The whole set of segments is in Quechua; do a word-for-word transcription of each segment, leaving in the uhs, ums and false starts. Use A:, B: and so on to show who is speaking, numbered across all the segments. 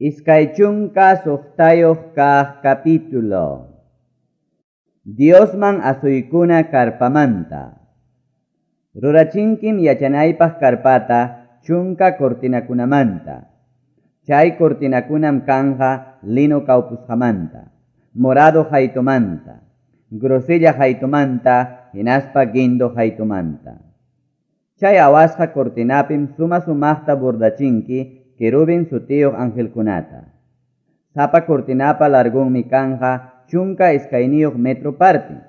A: Iskay chunka suqtayuq kaq capítulo. Diosman asuykuna karpamanta. Rurachinkim yachanaypaq karpata chunka cortinakunamanta. Chay cortinakunam kanja lino kawpusqamanta, morado haytumanta, grosella haytumanta, hinaspa guindo haytumanta. Chay awasqa cortinapim suma sumaqta bordachinki querubin sutiyuq angelkunata. Sapa cortinapa largunmi kanja chunka iskayniyuq metro partin,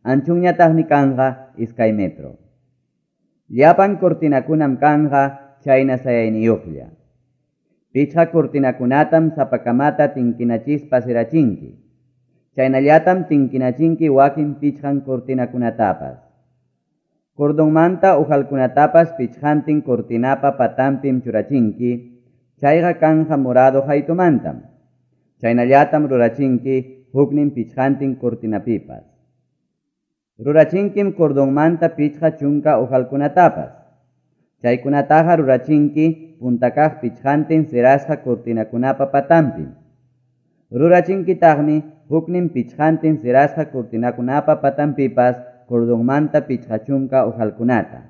A: anchunñataqmi kanja iskay metro. Llapan cortinakunam kanja chayna sayayniyuqlla. Pichqa cortinakunatam sapakamata tinkinachispa sirachinki. Chaynallatam tinkinachinki wakin pichqan cortinakunatapas. Cordonmanta ujalkunatapas pichqantin cortinapa patanpim churachinki, chayqa kanja morado haytumantam. Chaynallatam rurachinki huknin pichqantin cortinapipas. Rurachinkim cordonmanta pichqa chunka ujalkunatapas. Chaykunataqa rurachinki puntakaq pichqantin sirasqa cortinakunapa patanpim. Rurachinkitaqmi huknin pichqantin sirasqa cortinakunapa patanpipas cordonmanta pichqa chunka ujalkunata.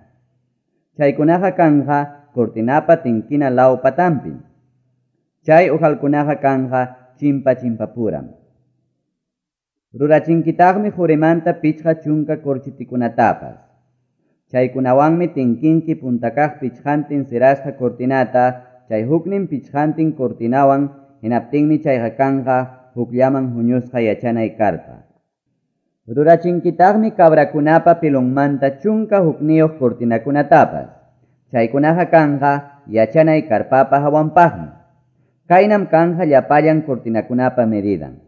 A: Chaykunaqa kanja cortinapa tinkina law patanpim. Chay ujalkunaqa kanja chimpa chimpapuram. Rurachinkitaqmi qurimanta pichqa chunka corchitikunatapas. Chaykunawanmi tinkinki puntakaq pichqantin sirasqa cortinata, chay huknin pichqantin cortinawan, hinaptinmi chayqa kanja hukllaman huñusqa yachanay karpa. Rurachinkitaqmi cabrakunapa pilunmanta chunka hukniyuq cortinakunatapas. Chaykunaqa kanja yachanay karpapa hawanpaqmi. Kaynam kanja llapallan cortinakunapa medidan.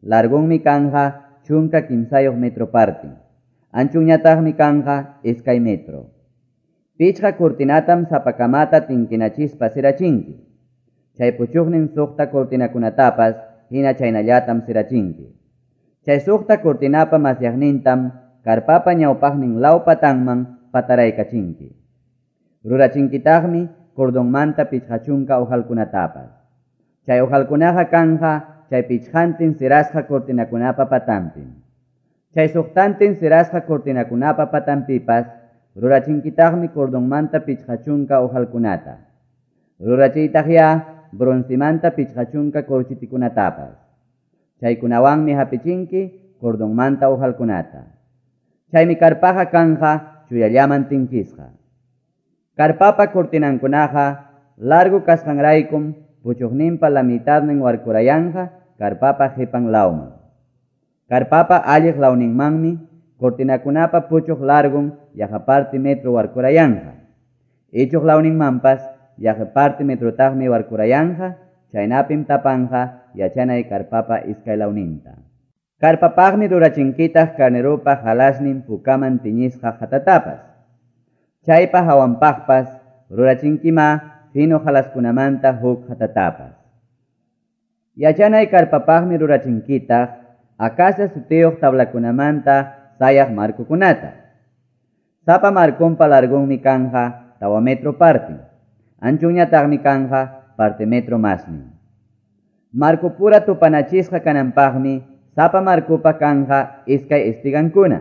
A: Largunmi kanja chunka kimsayuq metro partin. Anchunñataqmi kanja iskay metro. Pichqa cortinatam sapakamata tinkinachispa sirachinki. Chay puchuqnin suqta cortinakunatapas hina chaynallatam sirachinki. Chay suqta cortinapa masyaqnintam karpapa ñawpaqnin law patanman pataraykachinki. Rurachinkitaqmi cordonmanta pichqa chunka ujalkunatapas. Chay ujalkunaqa kanja chay pichqantin sirasqa cortinakunapa patanpim. Chay suqtantin sirasqa cortinakunapa patanpipas rurachinkitaqmi cordonmanta pichqa chunka ujalkunata. Rurachiytaqya broncemanta pichqa chunka corchitikunatapas. Chaykunawanmi hapichinki cordonmanta ujalkunata. Chaymi karpaqa kanja chuyallaman tinkisqa. Karpapa cortinankunaqa largo kasqanraykum puchuqninpa la mitadnin warkurayanja karpapa qipan lawman. Karpapa alliq lawninmanmi cortinakunapa puchuq largun yaqa parte metro warkurayanja. Ichuq lawninmanpas yaqa parte metrotaqmi warkurayanja, chaynapim tapanja yachanay karpapa iskay lawninta. Karpapaqmi rurachinkitaq carneropa halasnin pukaman tiñisqa hatatapas. Chaypa hawanpaqpas rurachinkima fino halaskunamanta huk hatatapas. Yachanay karpapaqmi rurachinkitaq acacia sutiyuq tablakunamanta sayaq markukunata. Sapa markunpa largunmi kanja tawa metro partin, anchunñataqmi kanja parte metro masnin. Markupura tupanachisqa kananpaqmi sapa markupa kanja iskay espigankuna.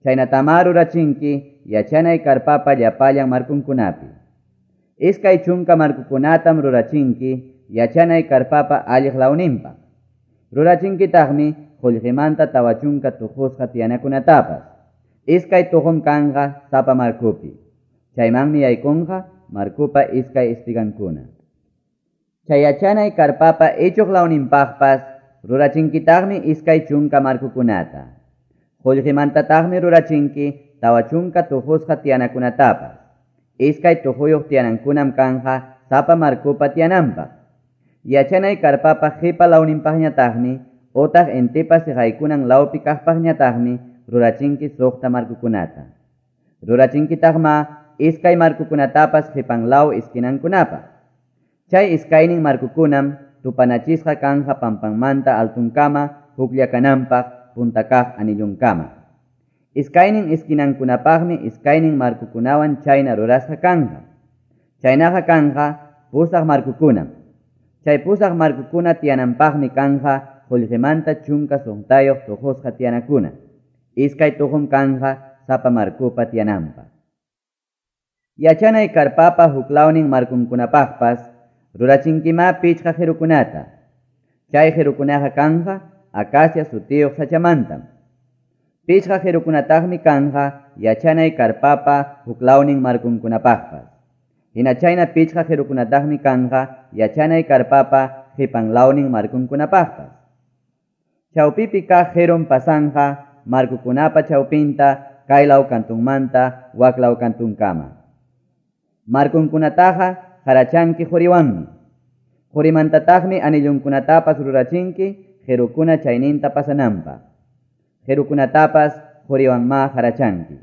A: Chaynatama rurachinki yachanay karpapa llapallan markunkunapi. Iskay chunka markukunatam rurachinki yachanay karpapa alliq lawninpa. Rurachinkitaqmi qullqimanta tawa chunka tuqusqa tiyanakunatapas. Iskay tuqum kanja sapa markupi. Chaymanmi yaykunqa markupa iskay espigankuna. Chay yachanay karpapa ichuq lawninpaqpas rurachinkitaqmi iskay chunka markukunata. Qullqimantataqmi rurachinki tawa chunka tuqusqa tiyanakunatapas. Iskay tuquyuq tiyanankunam kanja sapa markupa tiyananpaq. Yachanay karpapa qipa lawninpaqñataqmi otaq intipa siqaykunan lawpi kaqpaqñataqmi rurachinki suqta markukunata. Rurachinkitaqma iskay markukunatapas qipan law iskinankunapaq. Chay iskaynin markukunam tupanachisqa kanja pampanmanta altunkama huklla kananpaq puntakaq anillunkama. Iskaynin iskinankunapaqmi iskaynin markukunawan chayna rurasqa kanja. Chaynaqa kanja pusaq markukunam. Chay pusaq markukuna tiyananpaqmi kanja qullqimanta chunka suqtayuq tuqusqa tiyanakuna. Iskay tuqum kanja sapa markupa tiyananpaq. Yachanay karpapa huklawnin markunkunapaqpas rurachinkima pichqa qirukunata. Chay qirukunaqa kanja acacia sutiyuq sachamantam. Pichqa qirukunataqmi kanja yachanay karpapa huklawnin markunkunapaqpas. Hina chayna pichqa qirukunataqmi kanja yachanay karpapa qipanlawnin markunkunapaqpas. Chawpipi kaq qirum pasanja markukunapa chawpinta kaylaw kantunmanta waklaw kantunkama. Markunkunataqa harachanki quriwanmi. Qurimantataqmi anillunkunatapas rurachinki qirukuna chayninta pasananpaq. Qirukunatapas quriwanma harachanki.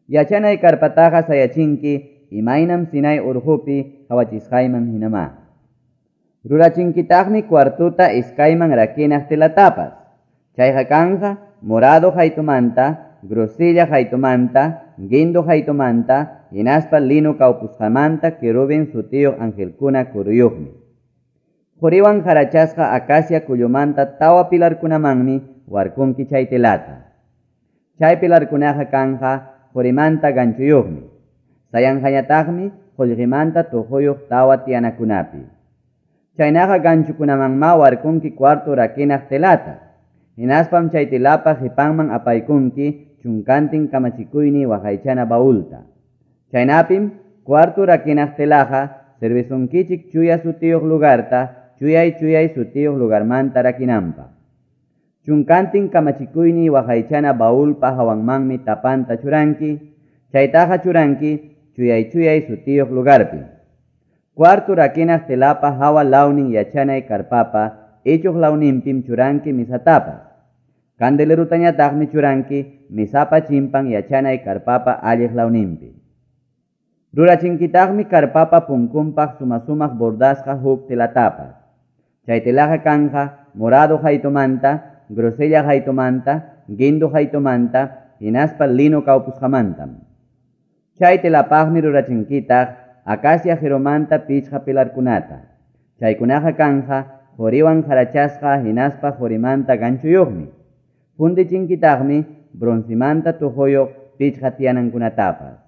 A: Yachanay karpataqa sayachinki imaynam Sinai urqupi qawachisqayman hinama. Rurachinkitaqmi cuartuta iskayman rakinaq telatapas. Chayqa kanja morado haytumanta, grosella haytumanta, guindo haytumanta, hinaspa lino kawpusqamanta querubin sutiyuq angelkuna kuruyuqmi. Quriwan harachasqa acacia kullumanta tawa pilarkunamanmi warkunki chay telata. Chay pilarkunaqa kanja qurimanta ganchuyuqmi. Sayanqañataqmi qullqimanta tuquyuq tawa tiyanakunapi. Chaynaqa ganchukunamanma warkunki cuarto rakinaq telata. Hinaspam chay telapa qipanman apaykunki chunkantin kamachikuyni waqaychana baulta. Chaynapim cuarto rakinaq telaqa servisunkichik chuya sutiyuq lugarta chuyay chuyay sutiyuq lugarmanta rakinanpaq. Chunkantin kamachikuyni waqaychana baulpa hawanmanmi tapanta churanki, chaytaqa churanki chuyay chuyay sutiyuq lugarpi. Cuarto rakinaq telapa hawa lawnin yachanay karpapa ichuq lawninpim churanki misatapas. Candelerutañataqmi churanki misapa chimpan yachanay karpapa alliq lawninpi. Rurachinkitaqmi karpapa punkunpaq sumasumaq bordasqa huk telatapas. Chay telaqa kanja morado haytumanta, grosella haytumanta, guindo haytumanta, hinaspa lino kawpusqamantam. Chay telapaqmi rurachinkitaq acacia qirumanta pichqa pilarkunata. Chaykunaqa kanja quriwan harachasqa hinaspa qurimanta ganchuyuqmi. Fundichinkitaqmi broncimanta tuquyuq pichqa tiyanankunatapas.